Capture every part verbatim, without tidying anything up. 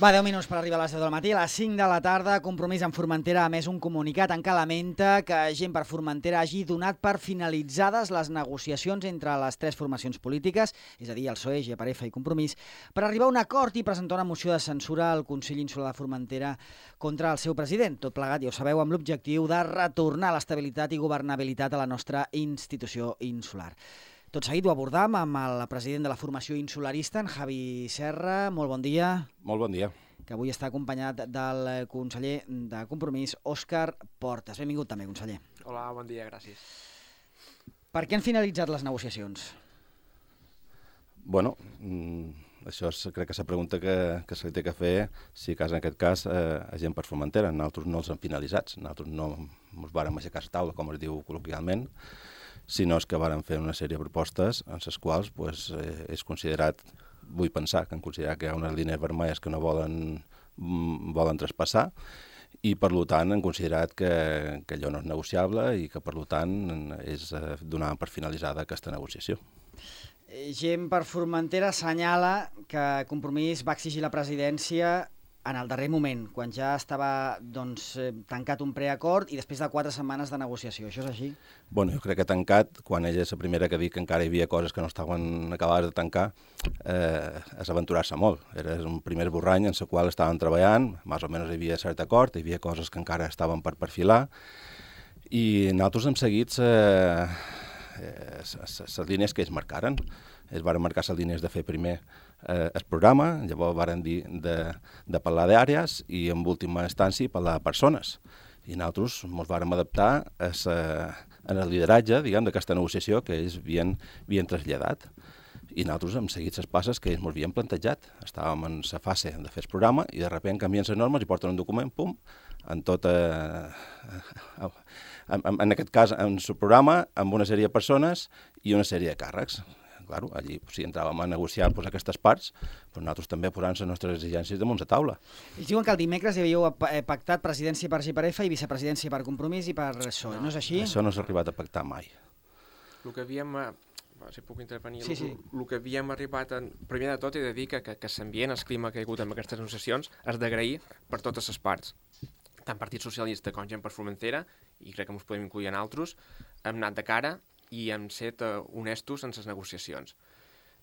Va, deu minuts per arribar a les deu del matí. A les cinc de la tarda, Compromís amb Formentera ha emès un comunicat en què lamenta que Gent per Formentera hagi donat per finalitzades les negociacions entre les tres formacions polítiques, és a dir, el P S O E, G per F i Compromís, per arribar a un acord i presentar una moció de censura al Consell Insular de Formentera contra el seu president. Tot plegat, ja ho sabeu, amb l'objectiu de retornar l'estabilitat i governabilitat a la nostra institució insular. Tot seguit ho abordam amb el president de la formació insularista, en Javi Serra. Molt bon dia. Molt bon dia. Que avui està acompanyat del conseller de Compromís, Òscar Portas. Benvingut també, conseller. Hola, bon dia, gràcies. Per què han finalitzat les negociacions? Bueno, això és, crec que és la pregunta que, que se li té que fer, si cas en aquest cas eh, a Gent per Formentera. Nosaltres no els hem finalitzats, nosaltres no ens vàrem aixecar a taula, com es diu col·loquialment, sinó que varen fer una sèrie de propostes en les quals pues, eh, és considerat, vull pensar, que han considerat que hi ha unes línies vermelles que no volen, volen traspassar i per tant han considerat que, que allò no és negociable i que per tant és eh, donar per finalitzada aquesta negociació. Gent per Formentera assenyala que Compromís va exigir la presidència en el darrer moment, quan ja estava doncs, tancat un preacord i després de quatre setmanes de negociació. Això és així? Bueno, jo crec que tancat, quan ella és la primera que dic que encara hi havia coses que no estaven acabades de tancar, eh, és aventurar-se molt. Era un primer esborrany en el qual estaven treballant, més o menys hi havia cert acord, hi havia coses que encara estaven per perfilar, i nosaltres hem seguit les línies que ells marcaren. Ells van marcar les línies de fer primer eh, el programa, llavors van dir de, de parlar d'àrees i en última instància parlar de persones. I nosaltres ens vam adaptar a sa, en el lideratge diguem, d'aquesta negociació que ells havien, havien traslladat. I nosaltres hem seguit les passes que ells ens havien plantejat. Estàvem en la fase de fer el programa i de sobte canvien les normes i porten un document, pum, en tot, eh, en, en aquest cas, en el programa, amb una sèrie de persones i una sèrie de càrrecs. Claro, allí, si entràvem a negociar pues, aquestes parts, pues, nosaltres també posant les nostres exigències damunt la taula. Ells diuen que el dimecres hi havíeu pactat presidència per G per F i vicepresidència per Compromís i per P S O E. No, no és així? Això no s'ha arribat a pactar mai. El que havíem... Si puc intervenir, sí, sí. El, el que havíem arribat... En, primer de tot he de dir que, que, que l'ambient, el clima que hi ha hagut en aquestes negociacions és d'agrair per totes les parts. Tant Partit Socialista com Gent per Formentera, i crec que ens podem incluir en altres, hem anat de cara i hem set uh, honestos en les negociacions.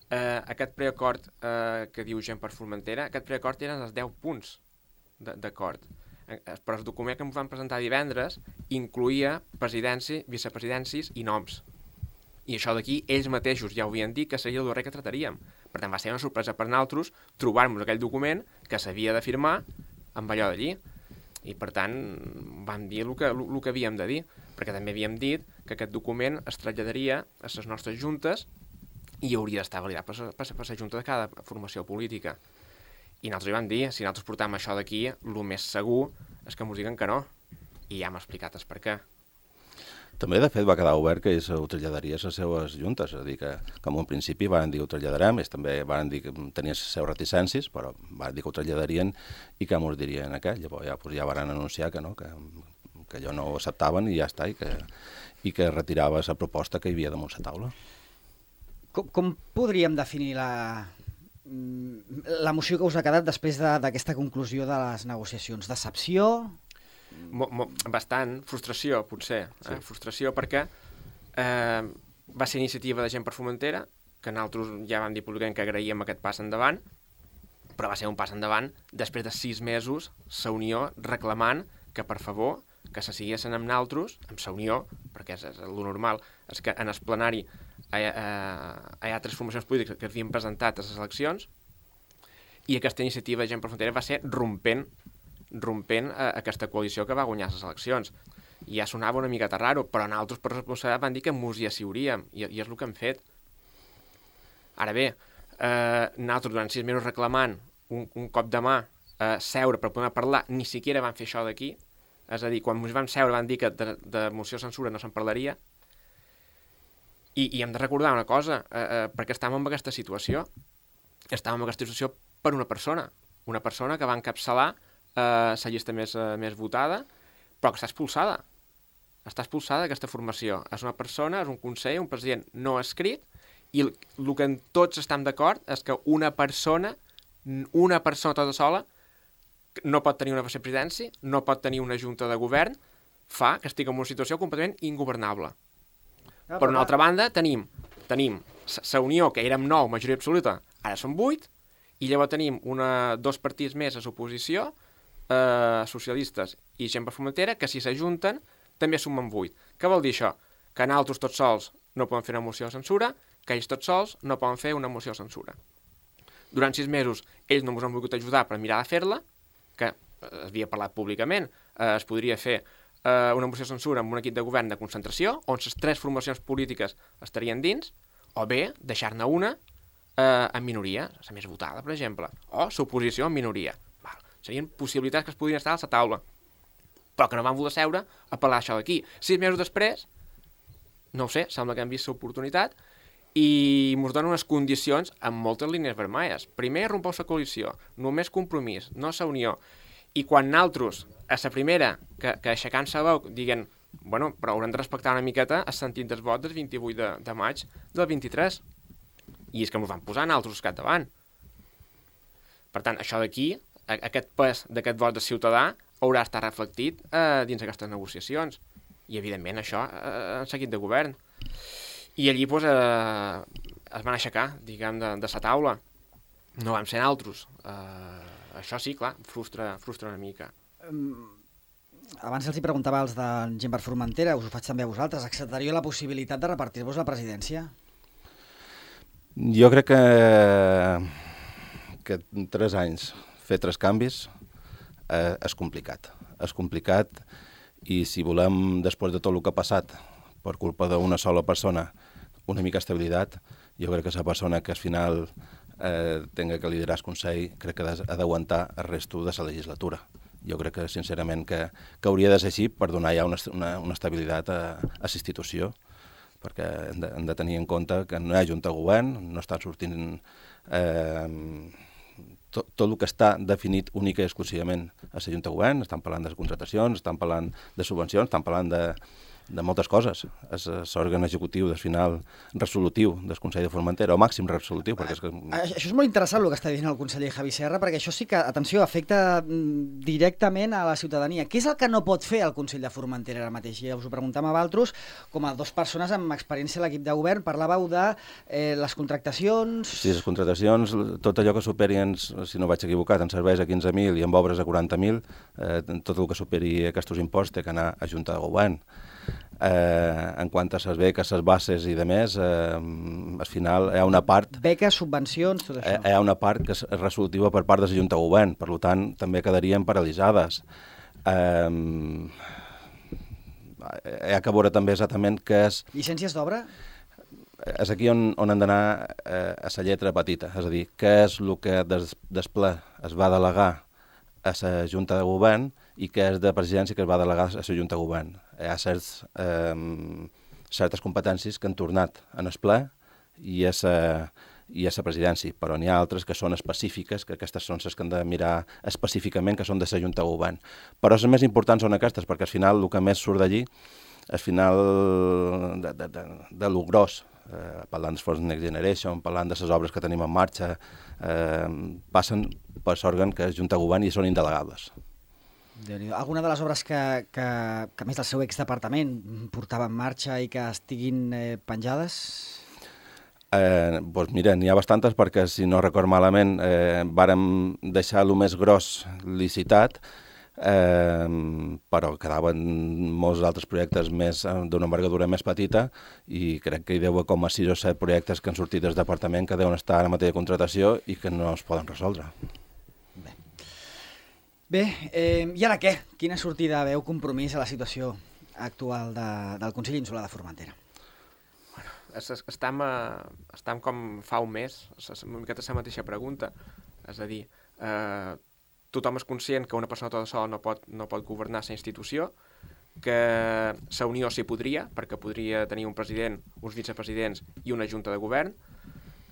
Uh, aquest preacord uh, que diu Gent per Formentera, aquest preacord eren els deu punts d'acord. Uh, però el document que ens van presentar divendres incluïa presidència, vicepresidències i noms. I això d'aquí ells mateixos ja ho havien dit que seria el darrer que trataríem. Per tant, va ser una sorpresa per nosaltres trobar-nos aquell document que s'havia de firmar amb allò d'allí. I, per tant, vam dir el que, el que havíem de dir, perquè també havíem dit que aquest document es traslladaria a les nostres juntes i hauria d'estar validat per, per, per la junta de cada formació política. I nosaltres hi vam dir, si nosaltres portam això d'aquí, el més segur és que ens diguen que no. I ja hem explicat el per què. També, de fet, va quedar obert que ells ho traslladaria a les seves juntes, és a dir, que com en principi van dir que ho traslladarem, ells també van dir que tenien les seves reticències, però van dir que ho traslladarien i que ens dirien aquell. Llavors ja, pues, ja van anunciar que no, que, que allò no ho acceptaven i ja està, i que, i que retirava la proposta que hi havia damunt la taula. Com, com podríem definir la, la moció que us ha quedat després d'aquesta de, conclusió de les negociacions? Decepció? Mo, mo, bastant, frustració potser, sí. eh? frustració perquè eh, va ser iniciativa de Gent per Formentera, que nosaltres ja vam dir públicament que agraïem aquest pas endavant, però va ser un pas endavant després de sis mesos la Unió reclamant que per favor que se siguessin amb nosaltres, amb la Unió, perquè és, és el normal, és que en el plenari hi ha, hi ha tres formacions polítiques que havien presentat a les eleccions i aquesta iniciativa de Gent per Formentera va ser rompent rompent eh, aquesta coalició que va guanyar les eleccions. I ja sonava una miqueta raro, però nosaltres per responsabilitat van dir que mos hi assiuríem, i, i és el que hem fet. Ara bé, eh, nosaltres durant sis mesos reclamant un, un cop de mà, eh, seure per poder parlar, ni siquiera van fer això d'aquí, és a dir, quan ens vam seure van dir que de, de moció censura no se'n parlaria, i, i hem de recordar una cosa, eh, eh, perquè estàvem en aquesta situació, estàvem en aquesta situació per una persona, una persona que va encapçalar Uh, la llista més, uh, més votada, però que està expulsada. Està expulsada aquesta formació. És una persona, és un conseller, un president no escrit, i el, el que tots estem d'acord és que una persona, una persona tota sola, no pot tenir una vicepresidència, no pot tenir una junta de govern, fa que estigui en una situació completament ingovernable. Ah, per una altra banda, tenim, tenim la Unió, que érem nou, majoria absoluta, ara són vuit, i llavors tenim una, dos partits més a l'oposició, eh, socialistes i gent per Formentera, que si s'ajunten també sumen vuit. Què vol dir això? Que nosaltres tots sols no poden fer una moció de censura, que ells tots sols no poden fer una moció de censura. Durant sis mesos ells no ens han volgut ajudar per mirar de fer-la, que havia parlat públicament, eh, es podria fer eh, una moció de censura amb un equip de govern de concentració, on les tres formacions polítiques estarien dins, o bé deixar-ne una eh, en minoria, la més votada, per exemple, o l'oposició en minoria. Val. Serien possibilitats que es podrien estar a la taula, però que no van voler seure a parlar això d'aquí. Sis mesos després, no ho sé, sembla que han vist l'oportunitat i ens donen unes condicions amb moltes línies vermelles. Primer, rompeu la coalició, només compromís, no la unió. I quan nosaltres, a la primera, que, que aixecant la veu, diguen, bueno, però haurem de respectar una miqueta el sentit del vot del vint-i-vuit de, de maig del vint-i-tres. I és que ens van posar nosaltres cap davant. Per tant, això d'aquí, aquest pes d'aquest vot de ciutadà, haurà estat reflectit eh, dins aquestes negociacions. I, evidentment, això eh, en seguit de govern. I allí doncs, eh, es van aixecar, diguem, de, de la taula. No vam ser nosaltres. Eh, això sí, clar, frustra, frustra una mica. Um, abans els hi preguntava als de gent per Formentera, us ho faig també a vosaltres, acceptaríeu la possibilitat de repartir-vos la presidència? Jo crec que, que en tres anys fer tres canvis eh, és complicat. És complicat i si volem, després de tot el que ha passat, per culpa d'una sola persona, una mica estabilitat, jo crec que la persona que al final eh, tenga que liderar el Consell crec que ha d'aguantar el resto de la legislatura. Jo crec que, sincerament, que, que hauria de ser així per donar ja una, una, una estabilitat a, a la institució, perquè hem de, hem de tenir en compte que no hi ha junta de govern, no estan sortint eh, tot, tot el que està definit única i exclusivament a la junta de govern. Estan parlant de contratacions, estan parlant de subvencions, estan parlant de, de moltes coses. És l'òrgan executiu, del final, resolutiu del Consell de Formentera, o màxim resolutiu. Perquè és que... Això és molt interessant el que està dient el conseller Javi Serra, perquè això sí que, atenció, afecta directament a la ciutadania. Què és el que no pot fer el Consell de Formentera ara mateix? I us ho preguntem a vosaltres, com a dues persones amb experiència a l'equip de govern, parlàveu de eh, les contractacions... Sí, les contractacions, tot allò que superi, si no vaig equivocat, en serveis a quinze mil i en obres a quaranta mil, eh, tot el que superi aquests impostos té que anar a Junta de Govern. Eh, en quant a les beques, les bases i de més, eh, al final hi ha una part... Beques, subvencions, tot això. Hi ha una part que és resolutiva per part de la Junta de Govern, per tant, també quedarien paralitzades. Eh, hi ha que veure també exactament què és... Llicències d'obra? És aquí on, on hem d'anar eh, a la lletra petita, és a dir, què és el que des, des ple es va delegar a la Junta de Govern i què és de presidència que es va delegar a la Junta de Govern. Hi ha certs, eh, certes competències que han tornat en el ple i a la presidència, però n'hi ha altres que són específiques, que aquestes són les que hem de mirar específicament, que són de la Junta de Govern. Però les més importants són aquestes, perquè al final el que més surt d'allí, al final de, de, de, de lo gros, eh, parlant dels fons Next Generation, parlant de les obres que tenim en marxa, eh, passen per l'òrgan que és Junta de Govern i són indelegables. Alguna de les obres que, que, que més del seu exdepartament portava en marxa i que estiguin eh, penjades? Eh, doncs mira, n'hi ha bastantes perquè, si no record malament, eh, vàrem deixar el més gros licitat, eh, però quedaven molts altres projectes més d'una envergadura més petita i crec que hi deu haver com a sis o set projectes que han sortit del departament que deuen estar ara mateix de contratació i que no es poden resoldre. Bé, eh, i ara què? Quina sortida veu compromís a la situació actual de, del Consell Insular de Formentera? Bueno, estem, a, estem com fa un mes, una miqueta la mateixa pregunta, és a dir, eh, tothom és conscient que una persona tota sola no pot, no pot governar la institució, que la Unió s'hi podria, perquè podria tenir un president, uns vicepresidents i una junta de govern.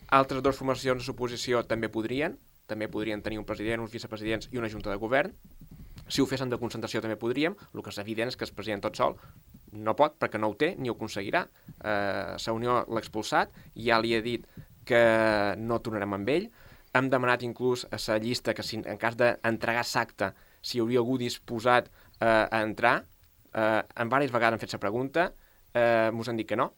Altres dues formacions de l'oposició també podrien, també podrien tenir un president, uns vicepresidents i una junta de govern. Si ho fessin de concentració també podríem, el que és evident és que el president tot sol no pot perquè no ho té ni ho aconseguirà. Eh, la Unió l'ha expulsat, ja li ha dit que no tornarem amb ell. hem demanat inclús a la llista que si, en cas d'entregar l'acte, si hi hauria algú disposat eh, a entrar. Eh, en diverses vegades hem fet la pregunta, eh, mos han dit que no.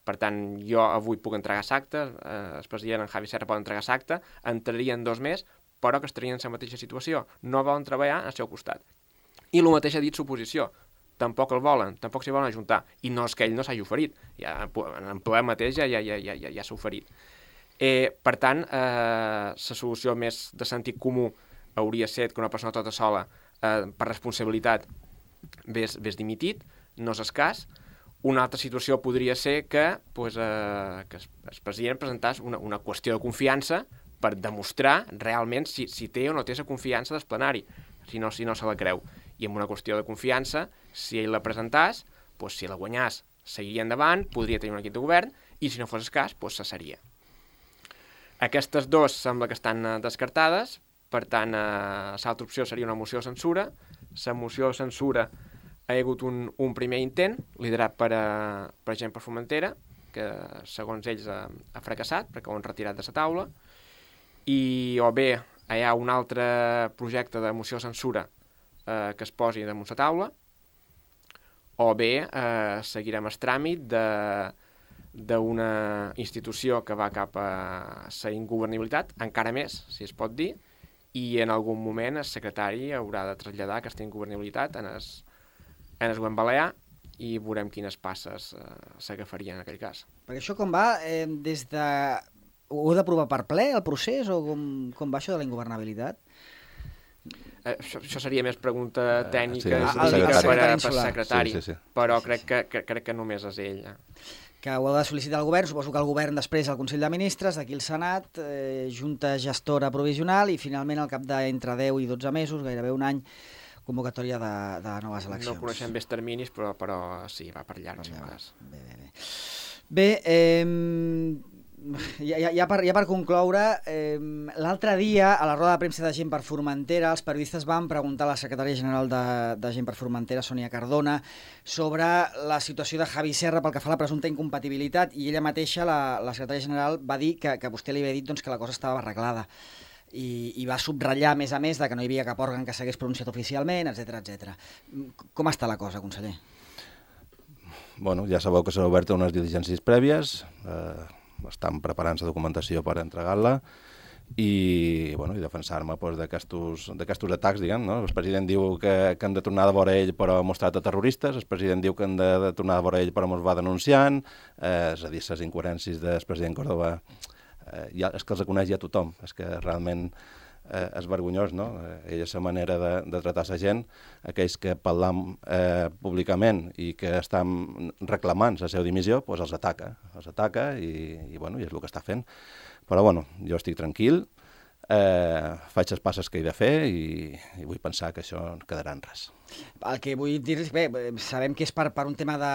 Per tant, jo avui puc entregar l'acte, eh, el president en Javi Serra pot entregar l'acte, entrarien dos més, però que estarien en la mateixa situació. No volen treballar al seu costat. I el mateix ha dit l'oposició. Tampoc el volen, tampoc s'hi volen ajuntar. I no és que ell no s'hagi oferit. Ja, en ple mateix ja, ja, ja, ja, ja, ja s'ha oferit. Eh, per tant, eh, la solució més de sentit comú hauria estat que una persona tota sola, eh, per responsabilitat, ves, ves dimitit, no és el cas. Una altra situació podria ser que, pues, eh, que el president presentàs una, una qüestió de confiança per demostrar realment si, si té o no té la confiança del plenari, si no, si no se la creu. I amb una qüestió de confiança, si ell la presentàs, pues, si la guanyàs, seguiria endavant, podria tenir un equip de govern, i si no fos el cas, pues, cessaria. Aquestes dues sembla que estan eh, descartades, per tant, eh, l'altra opció seria una moció de censura. La moció de censura ha hagut un, un primer intent, liderat per, uh, per gent per Formentera, que segons ells ha, ha fracassat, perquè ho han retirat de la taula, i o bé hi ha un altre projecte de moció de censura eh, que es posi damunt la taula, o bé eh, seguirem el tràmit d'una institució que va cap a la ingovernabilitat, encara més, si es pot dir, i en algun moment el secretari haurà de traslladar aquesta ingovernabilitat en el, en el govern balear i veurem quines passes eh, s'agafarien en aquell cas. Perquè això com va? Eh, des de... Ho heu d'aprovar per ple, el procés, o com, com va això de la ingovernabilitat? Eh, això, això seria més pregunta tècnica uh, sí, i el, el per al secretari, secretari, sí, sí, sí. però sí, crec, sí. que, que, crec que només és ell. Eh? Que ho heu de sol·licitar al govern, suposo que el govern després al Consell de Ministres, d'aquí el Senat, eh, Junta Gestora Provisional i finalment al cap d'entre deu i dotze mesos, gairebé un any, convocatòria de, de noves eleccions. No coneixem bé els terminis, però, però sí, va per llarg. Ja va. Bé, bé, bé. Bé, eh, ja, ja, ja, per, ja per concloure, eh, l'altre dia, a la roda de premsa de Gent per Formentera, els periodistes van preguntar a la secretària general de, de Gent per Formentera, Sònia Cardona, sobre la situació de Javi Serra pel que fa a la presumpta incompatibilitat, i ella mateixa, la, la secretària general, va dir que, que vostè li havia dit doncs, que la cosa estava arreglada. I, i va subratllar, a més a més, de que no hi havia cap òrgan que s'hagués pronunciat oficialment, etcètera, etcètera. Com està la cosa, conseller? Bueno, ja sabeu que s'han obert unes diligències prèvies, eh, estan preparant la documentació per entregar-la i, bueno, i defensar-me doncs, d'aquests atacs, diguem, no? El president diu que, que han de tornar a veure ell però ha mostrat a terroristes, el president diu que han de, de tornar a veure ell però ens va denunciant, eh, és a dir, les incoherències del president Córdoba, eh, ja, és que els coneix ja tothom, és que realment eh, és vergonyós, no? Eh, ella és la manera de, de tratar la gent, aquells que parlam eh, públicament i que estan reclamant la seva dimissió, doncs els ataca, els ataca i, i, bueno, i és el que està fent. Però bueno, jo estic tranquil, eh, faig les passes que he de fer i, i vull pensar que això quedarà en res. El que vull dir-los, bé, sabem que és per, per un tema de...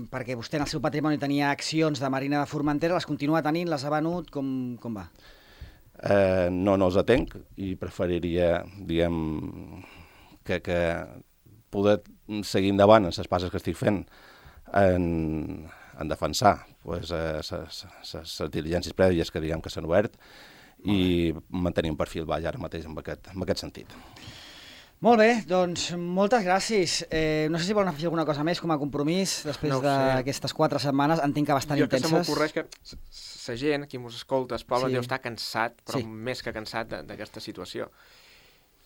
perquè vostè en el seu patrimoni tenia accions de Marina de Formentera, les continua tenint, les ha venut, com, com va? Eh, no, no els atenc i preferiria, diguem, que, que poder seguir endavant en les passes que estic fent en, en defensar pues, les diligències prèvies que diguem que s'han obert i mantenir un perfil baix ara mateix en aquest, en aquest sentit. Molt bé, doncs moltes gràcies. Eh, no sé si volen afegir alguna cosa més com a compromís després no d'aquestes quatre setmanes. Entenc que bastant jo intenses. Jo que se m'ocorreix que la gent, qui mos escolta, el poble, sí. deu estar cansat, però sí. més que cansat d'aquesta situació.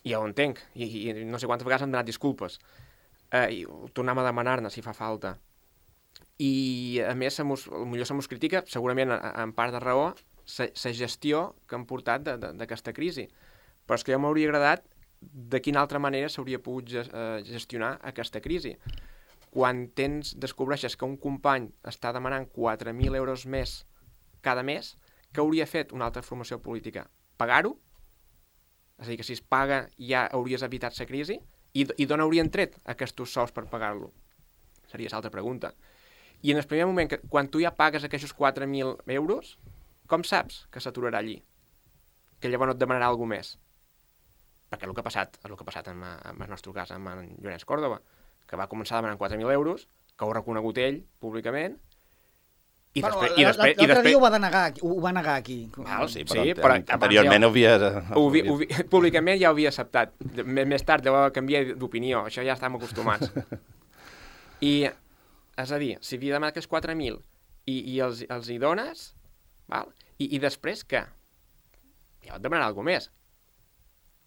I ja ho entenc, I, i no sé quantes vegades hem donat disculpes. Eh, i ho tornem a demanar-ne si fa falta. I a més, potser se mos critica, segurament en part de raó, la gestió que han portat d'aquesta crisi. Però és que jo m'hauria agradat de quina altra manera s'hauria pogut gestionar aquesta crisi. Quan tens, descobreixes que un company està demanant quatre mil euros més cada mes, què hauria fet una altra formació política? Pagar-ho? És a dir, que si es paga ja hauries evitat la crisi? I, i d'on haurien tret aquests sous per pagar-lo? Seria l'altra pregunta. I en el primer moment, que, quan tu ja pagues aquests quatre mil euros, com saps que s'aturarà allí? Que llavors no et demanarà alguna més? Perquè el que ha passat, és el que ha passat en, en el nostre cas amb en Llorenç Córdoba, que va començar demanant quatre mil euros, que ho ha reconegut ell públicament, I bueno, després, i després, i l'altre després... dia ho va denegar, ho va negar aquí. Val, sí, però, sí, però anteriorment ho havia... Ho havia, ho havia, públicament ja ho havia acceptat. Més, més tard deu canviar d'opinió, això ja estàvem acostumats. I, és a dir, si havia demanat aquests quatre mil i, i els, els hi dones, val? I, i després què? Ja et demanarà alguna més.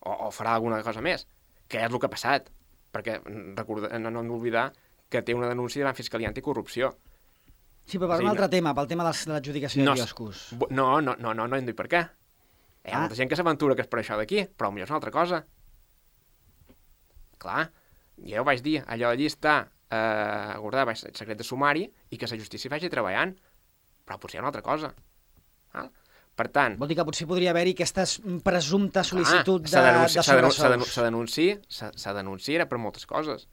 O, o farà alguna cosa més. Què és el que ha passat? Perquè recorda, no, no hem d'oblidar que té una denúncia davant Fiscalia Anticorrupció. Sí, però per sí, un altre no... tema, pel tema de l'adjudicació no, de quioscos. No, no, no, no, no hem dit per què. Hi ha ah. molta gent que s'aventura que és per això d'aquí, però potser és una altra cosa. Clar, ja ho vaig dir, allò allí està eh, guardat baix secret de sumari i que la justícia vagi treballant, però potser hi ha una altra cosa. Val? Per tant... Vol dir que potser podria haver-hi aquesta presumpta sol·licitud clar, de, denunci, de sobresous. Se denuncia, se denuncia era per moltes coses.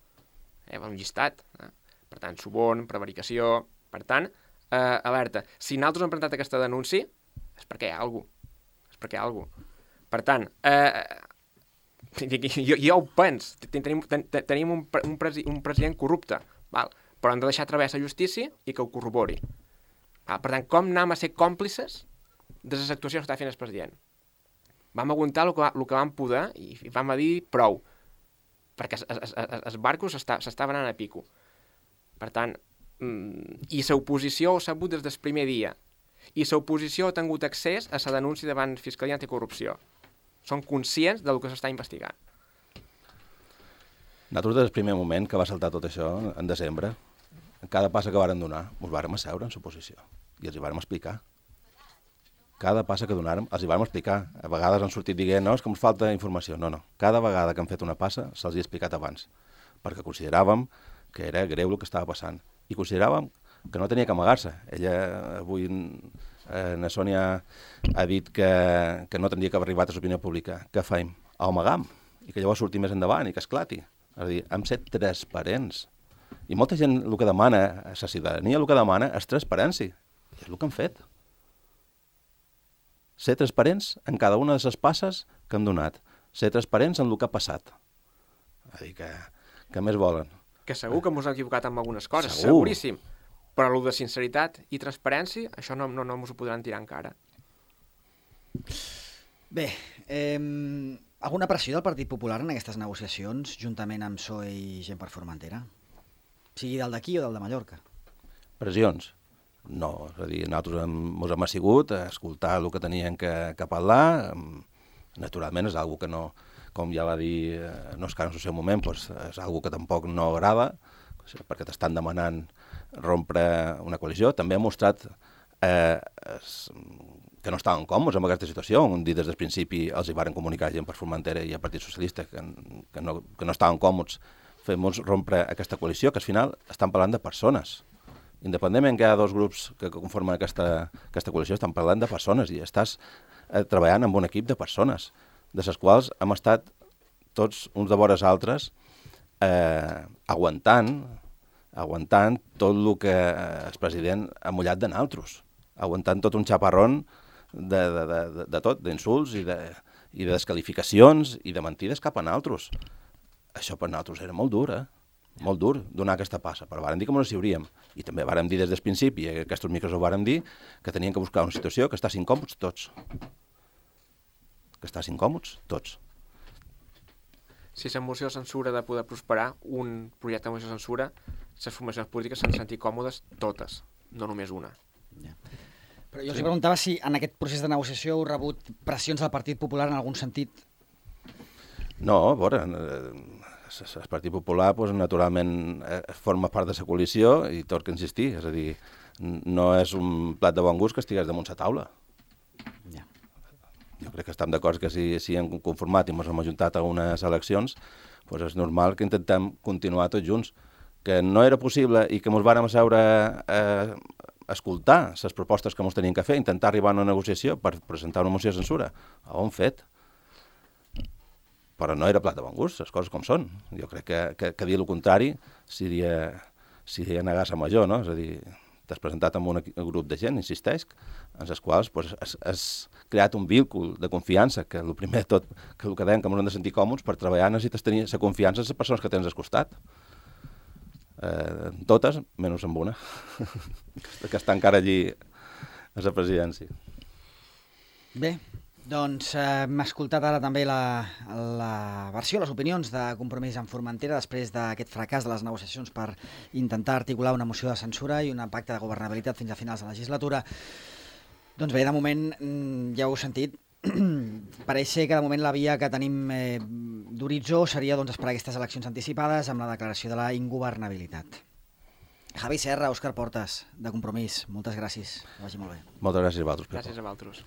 Eh, un llistat. Eh? Per tant, suborn, prevaricació... Per tant, eh, alerta, si nosaltres hem presentat aquesta denúncia, és perquè hi ha alguna cosa. És perquè hi ha alguna cosa. Per tant, eh, jo, jo ho penso, tenim, ten, tenim un, un, presi, un president corrupte, val? Però hem de deixar treballar la justícia i que ho corrobori. Val? Per tant, com anem a ser còmplices de les actuacions que està fent el president? Vam aguantar el que, el que vam poder i, i vam dir prou, perquè els barcos s'estaven anant a pico. Per tant, i l'oposició ho ha sabut des del primer dia. I l'oposició ha tingut accés a la denúncia davant Fiscalia Anticorrupció. Són conscients del que s'està investigant. Nosaltres, des del primer moment que va saltar tot això, en desembre, cada passa que varen donar, ens vàrem asseure en l'oposició i els hi vàrem explicar. Cada passa que donàrem, els hi vàrem explicar. A vegades han sortit dient, no, és que ens falta informació. No, no. Cada vegada que han fet una passa, se'ls hi ha explicat abans, perquè consideràvem que era greu el que estava passant. I consideràvem que no tenia que amagar-se. Ella, avui, eh, na Sònia ha dit que, que no tindria que haver arribat a l'opinió pública. Què faim? A amagam. I que llavors surti més endavant i que esclati. És a dir, hem set transparents. I molta gent el que demana, a la ciutadania el que demana és transparència. I és el que han fet. Ser transparents en cada una de les passes que hem donat. Ser transparents en el que ha passat. És a dir, que, que més volen. Que segur que ens hem equivocat amb algunes coses, segur. Seguríssim. Però el de sinceritat i transparència, això no, no, no ens ho podran tirar encara. Bé, eh, alguna pressió del Partit Popular en aquestes negociacions, juntament amb P S O E i Gent per Formentera? Sigui del d'aquí o del de Mallorca? Pressions? No, és a dir, nosaltres hem, ens hem assigut a escoltar el que tenien que, que parlar. Naturalment és una cosa que no... com ja va dir, no és que en el seu moment, doncs és una cosa que tampoc no agrada, perquè t'estan demanant rompre una coalició. També ha mostrat eh, que no estaven còmodes amb aquesta situació, on dit des del principi els hi varen comunicar Gent per Formentera i el Partit Socialista que, que, no, que no estaven còmodes fent-nos rompre aquesta coalició, que al final estan parlant de persones. Independentment que hi ha dos grups que conformen aquesta, aquesta coalició, estan parlant de persones i estàs eh, treballant amb un equip de persones, de les quals hem estat tots uns de vores altres eh, aguantant, aguantant tot el que el president ha mullat de naltros, aguantant tot un xaparrón de, de, de, de, de tot, d'insults i, de, i de descalificacions i de mentides cap a naltros. Això per naltros era molt dur, eh? Molt dur donar aquesta passa, però vàrem dir que ens hi hauríem. I també vàrem dir des del principi, i aquests micros ho vàrem dir, que tenien que buscar una situació que estàssim còmodes tots. que estàs incòmodes, tots. Si la moció de censura de poder prosperar, un projecte de moció de censura, les formacions polítiques s'han de sentir còmodes totes, no només una. Ja. Però jo els sí. preguntava si en aquest procés de negociació heu rebut pressions del Partit Popular en algun sentit. No, a veure, el Partit Popular pues, naturalment forma part de la coalició i tot que insistir, és a dir, no és un plat de bon gust que estigués damunt la taula. Ja. Jo crec que estem d'acord que si, si hem conformat i ens hem ajuntat a unes eleccions, doncs és normal que intentem continuar tots junts. Que no era possible i que ens vàrem asseure a escoltar les propostes que ens tenien que fer, intentar arribar a una negociació per presentar una moció de censura. Ho hem fet. Però no era plat de bon gust, les coses com són. Jo crec que, que, que dir el contrari seria, seria negar-se major, no? És a dir, t'has presentat amb un grup de gent, insisteix, en els quals pues, has, has creat un víncle de confiança, que el primer de tot, que el que deien que ens hem de sentir còmodes, per treballar necessites tenir la confiança en les persones que tens al costat. eh, totes, menys amb una, que està encara allí a la presidència. Bé, doncs eh, hem escoltat ara també la, la versió, les opinions de Compromís en Formentera després d'aquest fracàs de les negociacions per intentar articular una moció de censura i un pacte de governabilitat fins a finals de legislatura. Doncs bé, de moment, ja ho heu sentit, pareix ser que de moment la via que tenim eh, d'horitzó seria doncs, esperar aquestes eleccions anticipades amb la declaració de la ingovernabilitat. Javi Serra, Òscar Portas, de Compromís, moltes gràcies. Que vagi molt bé. Moltes gràcies a vosaltres. Gràcies a vosaltres.